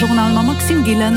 Journal mam Maxime Gillen.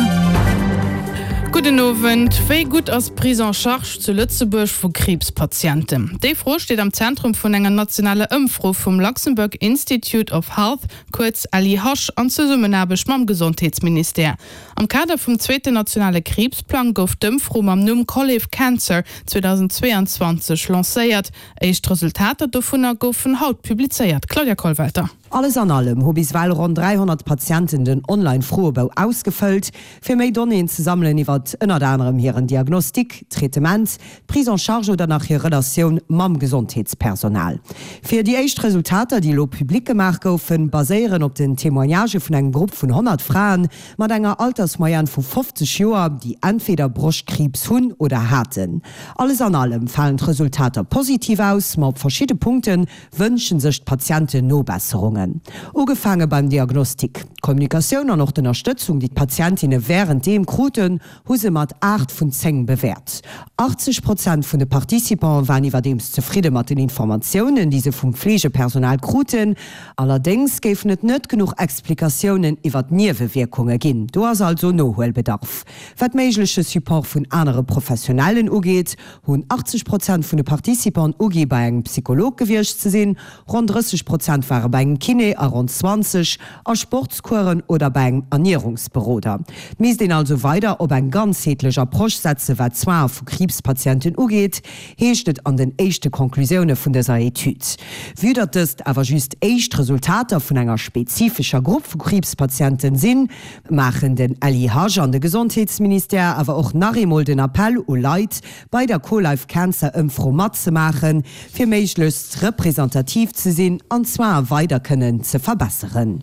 Gudden Owend. Wéi gutt ass d'Prise en charge zu Lëtzebuerg vu Kriibspatienten? Déi Fro steet am Zentrum vun enger nationaler Ëmfro vum Luxembourg Institute of Health, kuerz LIH, an Zesummenaarbecht mam Gesondheetsministère. Am Kader vum zweeten nationale Kriibsplang gouf d'Ëmfro mam Numm Collive Cancer 2022 lancéiert. Éischt Resultater dovunner goufen haut publizéiert. Claudia Kollwelter. Alles an allem hu bis ewell ronn 300 Patienten den Online-Froebou ausgefëllt, fir méi Donnéeën ze sammelen iwwert ënnert anerem hiren Diagnostic, Traitement, d'Prise en charge oder nach hir Relatioun mam Gesondheetspersonal. Fir déi éischt Resultater, déi elo public gemaach goufen, baséieren op den Témoignagë vun engem Grupp vun 100 Fraen mat enger Altersmoyenne vu 50 Joer, déi entweder Broschtkriibs hunn oder haten. Alles an allem falen d'Resultater positiv aus, ma op verschidde Punkte wënsche sech d'Patienten Nobesserungen. Ugefaange beim Diagnostic. D'Kommunikatioun an och d'Ënnerstëtzung, déi d'Patientinne wärenddeem kruten, hu se mat 8 vun 10 bewäert. 80 Prozent vun de Participante waren iwwerdeems zefridde mat den Informatiounen, déi se vum Fleegepersonal kruten. Allerdéngs géifen et net genuch Explikatiounen iwwer d'Niewewierkunge ginn. Do ass also Nohuelbedarf. Wat méigleche Support vun anere Professionellen ugeet, hunn 80 Prozent vun de Participanten ugi bei engem Psycholog gewiescht ze sinn, ronn 30 Prozent ware bei engem Kiné a ronn 20 a Sportscoursen oder bei engem Ernierungsberoder. Et misst een also weider op eng ganzheetlech Approche setze wat d'Soine vu Kriibspatienten ugeet, heescht et an den éischte Conclusioune vun dëser Etüd. Vue datt dëst awer just éischt Resultater vun enger spezifescher Grupp vu Kriibspatienten sinn, maachen den LIH an de Gesondheetsministère awer och nach eemol den Appell u Leit, bei der CoLife Cancer Ëmfro matzemaachen, fir méiglechst representativ ze sinn an d'Soine weider kënnen ze verbesseren.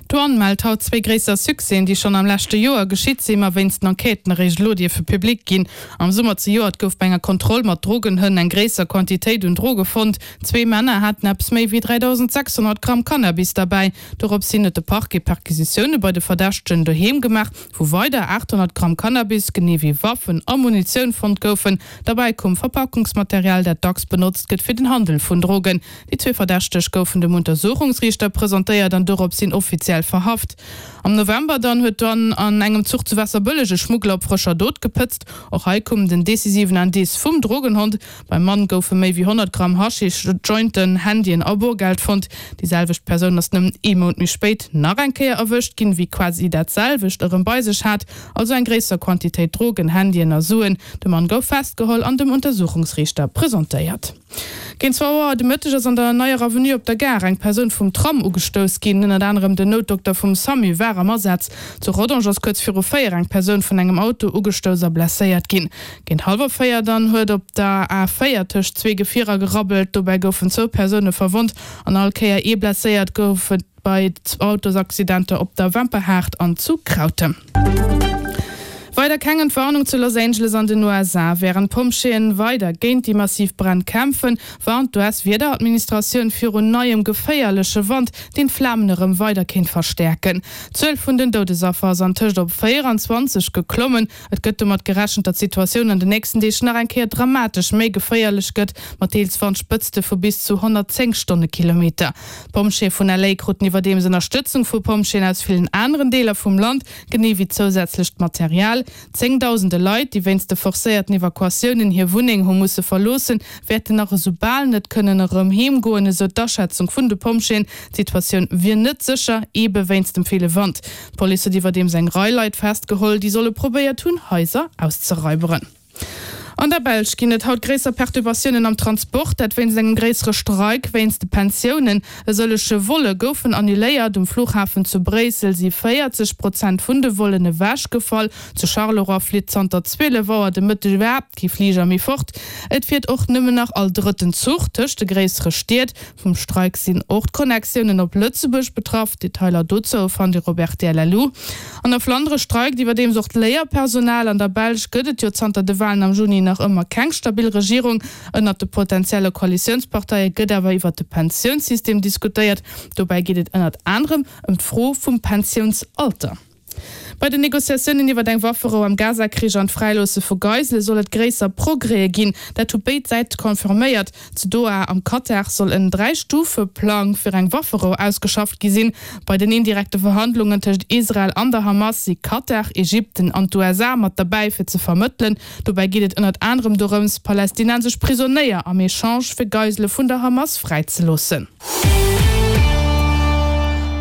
D'Douane mellt haut zwéi gréisser Succèsen, déi schonn am leschte Joer geschitt sinn, ma wéinst den Enquêten eréischt elo dierfe public ginn. Am Summer zejoert gouf bei enger Kontroll mat Drogenhënn eng gréisser Quantitéit un Droge fonnt. Zwee Männer haten eppes méi wéi 3.600 Gramm Cannabis derbäi. Dorops hin huet de Parquet Perquisitioune bei de Verdächtegen doheem gemaach, wou weider 800 Gramm Cannabis, genee wéi Waffen a Munitioun fonnt goufen. Derbäi koum Verpakungsmaterial, dat dacks benotzt gëtt fir den Handel vun Drogen. Déi zwee Verdächteg goufen dem Untersuchungsriichter presentéiert an dorops hin offiziell verhaft. Am November dann huet d'Douane an engem Zuch zu Waasserbëlleg e Schmuggler op frëscher Dot gepëtzt. Och hei koum den decisiven Indice vum Drogenhond. Beim Mann goufe méi wéi 100 Gramm Haschisch, Jointen, Handyen a Borgeld fonnt. Déi selwecht Persoun ass nëmmen ee Mount méi spéit nach eng Kéier erwëscht ginn, wéi quasi dat selwecht erëm bei sech hat, also eng gréisser Quantitéit Drogen, Handyen a Suen. De Mann gouf festgeholl an dem Untersuchungsriichter presentéiert. Géint zwou Auer de Mëtteg ass an der Neier Avenue op der Gare eng Persoun vum Tram ugestouss ginn. Ënnert anerem den Noutdokter vum Samu war am Asaz. Zu Rodange ass kuerz viru 4 eng Persoun vun engem Auto ugestouss a blesséiert ginn. Géint hallwer 4 dann huet op der A 4 tëscht zwee Gefierer gerabbelt. Dobäi goufen zwou Persoune verwonnt an all Kéier ee blesséiert gouf et bei Autosaccidenter op der Wemperhaart an zu Krautem. Weider keng Entwarnung zu Los Angeles an den USA. Wärend d'Pompjeeën weider géint déi massiv Bränn kämpfen, warnt d'US-Wiederadministratioun virun neiem geféierleche Wand, deen d'Flamen erëm weider kéint verstäerken. D'Zuel vun den Doudesaffer ass antëscht op 24 geklommen. Et gëtt domat gerechent, datt d'Situatioun an den nächsten Deeg nach eng Kéier dramatesch méi geféierlech gëtt, mat deels Wandspëtzte vu bis zu 110 Stonnekilometer. D'Pompjeeë vun LA kruten iwwerdeems Ënnerstëtzung vu Pompjeeën aus villen aneren Deeler vum Land, genee wéi zousätzlecht Material. Zéngdausende Leit, déi wéinst de forcéierten Evakuatiounen hir Wunneng hu musse verloossen, wäerten nach esou bal net kënnen erëm heem goen, esou d'Aschätzung vun de Pompjeeën. D'Situatioun wier net sécher, eebe wéinst dem ville Wand. D'Police huet iwwerdeems eng Rei Leit festgeholl, déi solle probéiert hunn, Haiser auszeraiberen. An der Belsch ginn et haut gréisser Perturbatiounen am Transport, dat wéinst engem gréissere Streik wéinst de Pensiounen. E sëllege Volle goufen annuléiert. Um Flughafen zu Bréissel si 40 Prozent vun de Vollen ewechgefall. Zu Charleroi flitt zanter 12 Auer de Mëtteg iwwerhaapt kee Fliger méi fort. Et fiert och nëmmen nach all drëtten Zuch tëscht de gréissere Stied. Vum Streik sinn och d'Connectiounen op Lëtzebuerg betraff. Detailer dozou fannt Dir op rtl.lu. An der Flandere streikt iwwerdeems och d'Léierpersonal. An der Belsch gëtt et jo zanter de Walen am Juni nach ëmmer keng stabil Regierung. Ënnert de potentielle Koalitiounsparteie gëtt awer iwwert de Pensiounssystem diskutéiert. Dobäi geet et ënnert anerem ëm d'Fro vum Pensiounsalter. Bei den Negociatiounen iwwer eng Wafferou am Gaza-Krich an d'Fräiloosse vu Geisele soll et gréisser Progrèse ginn. Dat hu béid Säite confirméiert. Zu Doha am Katar soll en Dräi-Stufe-Plang fir eng Wafferou ausgeschafft gi sinn. Bei den indirekte Verhandlungen tëscht Israel an der Hamas si Katar, Ägypten an d'USA mat derbäi fir ze vermëttelen. Dobäi geet et ënnert anerem dorëms, palästinensesch Prisonéier am Echange fir Geisele vun der Hamas fräizeloossen.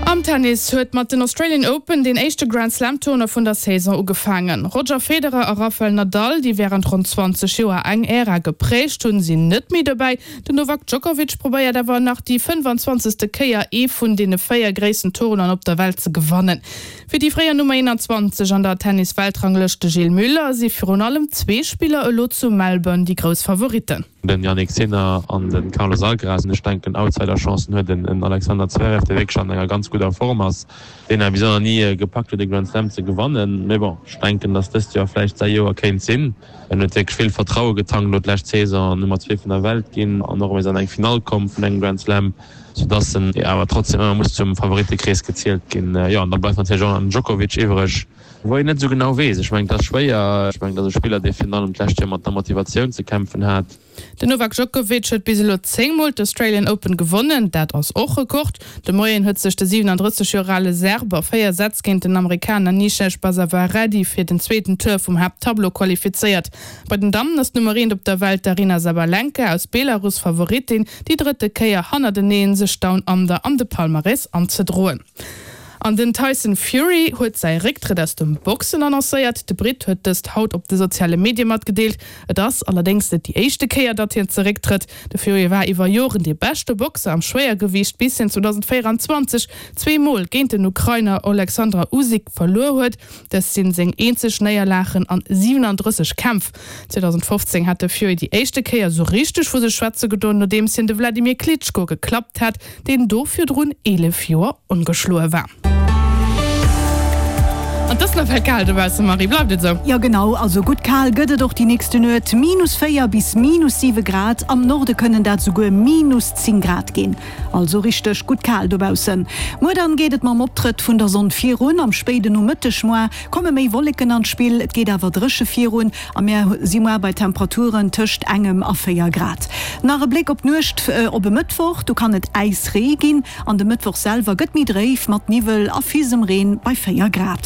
Am Tennis huet mat den Australian Open deen éischte Grand-Slam-Tournoi vun der Saison ugefaangen. Roger Federer a Rafael Nadal, déi wärend ronn 20 Joer eng Ära geprägt hunn, sinn net méi dobäi. Den Novak Djokovic probéiert awer nach déi 25. Kéier ee vun deene 4 gréissten Tournoien op der Welt ze gewannen. Fir déi fréier Nummer 21 an der Tennis-Weltranglëscht, de Gilles Muller, si virun allem zwee Spiller elo zu Melbourne déi grouss Favoritten. Den Jannik Sinner an de Carlos Alcaraz. An ech denken, Outsider-Chancen huet en Alexander Zverev, dee wierklech an enger ganz gudder Form ass, deen awer bis elo nach ni gepackt huet, e Grand Slam ze gewannen. Mee bon, ech denken, datt dëst Joer vläicht säi Joer kéint sinn. En huet wierklech vill Vertraue getankt elo d'lescht Saison, Nummer 2 vun der Welt ginn an och erëm an eng Finall komm vun engem Grand Slam, soudatt en awer trotzdem ëmmer muss zum Favorittekrees gezielt ginn. Jo, an da bleift natierlech och nach den Djokovic iwwreg. Wou een net esou genau weess. Ech mengen, et ass schwéier. Ech mengen, et ass e Spiller, dee virun allem d'lescht Joer mat der Motivatioun ze kämpfen hat. Den Novak Djokovic huet bis elo 10 Mol d'Australian Open gewonnen, dat ass och Rekord. De Moien huet sech de 37 Joer ale Serb a 4 Sätz géint den Amerikaner Nishesh Basavareddy fir den zweeten Tour vum Haapttableau qualifizéiert. Bei den Dammen ass d'Nummer eent op der Welt d'Aryna Sabalenka aus Belarus Favoritin, déi drëtte Kéier hannerteneen sech Down Under an de Palmarès anzedroen. An den Tyson Fury huet säi Récktrëtt aus dem Boxen annoncéiert. De Britt huet dëst haut op de soziale Medie matgedeelt. Et ass allerdéngs net déi éischte Kéier, datt hien zerécktrëtt. De Fury war iwwer Joren dee beschte Boxer am Schwéiergewiicht, bis hien 2024 zweemol géint den Ukrainer Oleksandr Usyk verluer huet. Dëst sinn seng eenzeg Néierlagen an 37 Kämpf. 2015 hat de Fury déi éischte Kéier esou richteg vu sech schwätze gedoen, nodeems hien de Wladimir Klitschko geklappt hat. deen do virdrun 11 Joer ongeschloe war. An 't ass nawell kal dobausse, Marie, bleift et esou? Jo genau, also gutt kal gëtt et och déi nächste Nuet, minus 4 bis minus 7 Grad, am Norde kënnen dat souguer minus 10 Grad ginn. Also richteg gutt kal dobaussen. Muer dann geet et mam Optrëtt vun der Sonn virun, am spéide Nomëtteg moar komme méi Wolleken an d'Spill, et geet awer dréche virun A mär si moar bei Temperaturen tëscht engem a 4 Grad. Nach e Bléck op d'Nuecht op e Mëttwoch, do kann et Äisree ginn an de Mëttwoch selwer gëtt méi dréif mat Niwwel a Fisemreen bei 4 Grad.